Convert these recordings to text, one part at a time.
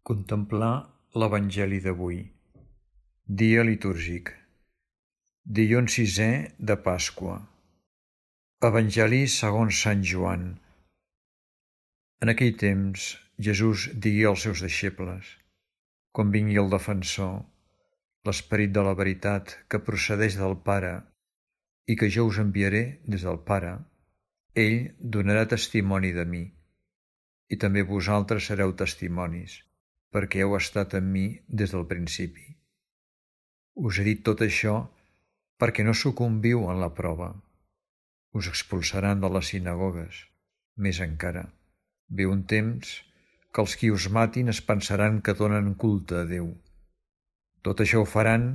Contemplar l'Evangeli d'avui. Dia litúrgic. Dilluns 6è de Pasqua. Evangeli segons Sant Joan. En aquell temps, Jesús digué als seus deixebles: quan vingui el Defensor, l'Esperit de la veritat que procedeix del Pare i que jo us enviaré des del Pare, ell donarà testimoni de mi. I també vosaltres sereu testimonis, perquè heu estat amb mi des del principi. Us he dit tot això perquè no sucumbiu en la prova. Us expulsaran de les sinagogues. Més encara, ve un temps que els qui us matin es pensaran que donen culte a Déu. Tot això ho faran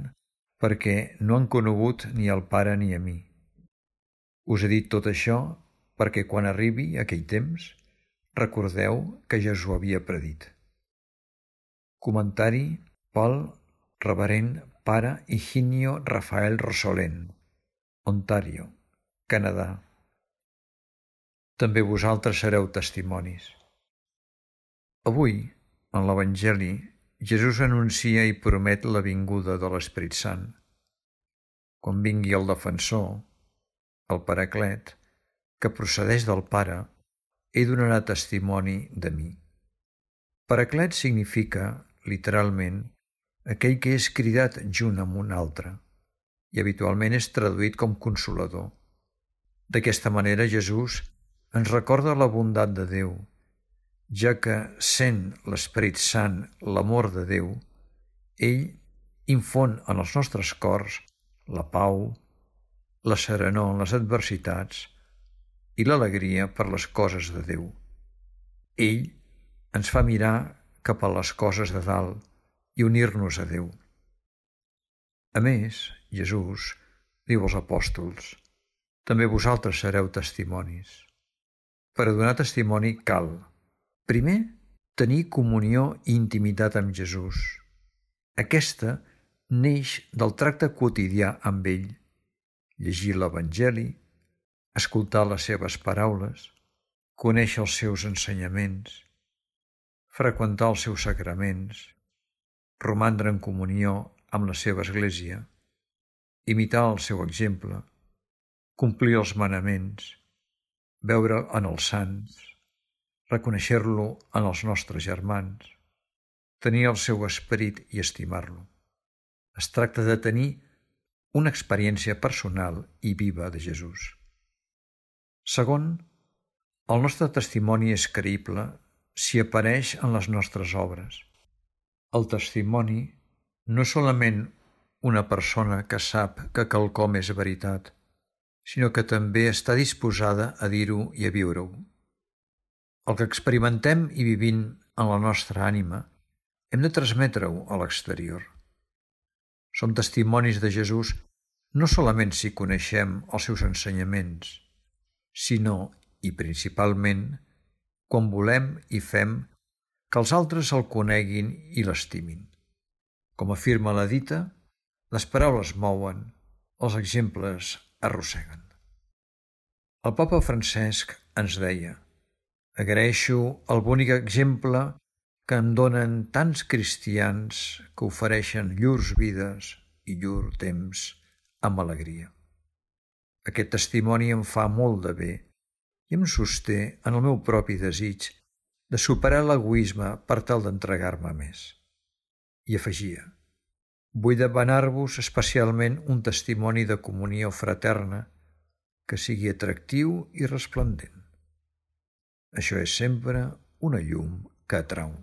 perquè no han conegut ni el Pare ni a mi. Us he dit tot això perquè quan arribi aquell temps recordeu que ja us ho havia predit. Comentari pel reverend Pare Higinio Rafael Rosolén, Ontario, Canadà. També vosaltres sereu testimonis. Avui, en l'Evangeli, Jesús anuncia i promet la vinguda de l'Esperit Sant. Quan vingui el Defensor, el Paraclet, que procedeix del Pare, ell donarà testimoni de mi. Paraclet significa, literalment, aquell que és cridat junt amb un altre, i habitualment és traduït com consolador. D'aquesta manera Jesús ens recorda la bondat de Déu, ja que, sent l'Esperit Sant l'amor de Déu, ell infon en els nostres cors la pau, la serenor en les adversitats i l'alegria per les coses de Déu. Ell ens fa mirar cap a les coses de dalt i unir-nos a Déu. A més, Jesús diu als apòstols: també vosaltres sereu testimonis. Per a donar testimoni cal, primer, tenir comunió i intimitat amb Jesús. Aquesta neix del tracte quotidià amb ell, llegir l'Evangeli, escoltar les seves paraules, conèixer els seus ensenyaments, freqüentar els seus sacraments, romandre en comunió amb la seva Església, imitar el seu exemple, complir els manaments, veure en els sants, reconèixer-lo en els nostres germans, tenir el seu esperit i estimar-lo. Es tracta de tenir una experiència personal i viva de Jesús. Segon, el nostre testimoni és creïble si apareix en les nostres obres. El testimoni no és solament una persona que sap que quelcom és veritat, sinó que també està disposada a dir-ho i a viure-ho. El que experimentem i vivim en la nostra ànima hem de transmetre-ho a l'exterior. Som testimonis de Jesús no solament si coneixem els seus ensenyaments, sinó, i principalment, quan volem i fem que els altres el coneguin i l'estimin. Com afirma la dita, les paraules mouen, els exemples arrosseguen. El Papa Francesc ens deia: agraeixo el bonic exemple que em donen tants cristians que ofereixen llurs vides i llur temps amb alegria. Aquest testimoni em fa molt de bé i em sosté en el meu propi desig de superar l'egoisme per tal d'entregar-me més. I afegia: vull demanar-vos especialment un testimoni de comunió fraterna que sigui atractiu i resplendent. Això és sempre una llum que atrau.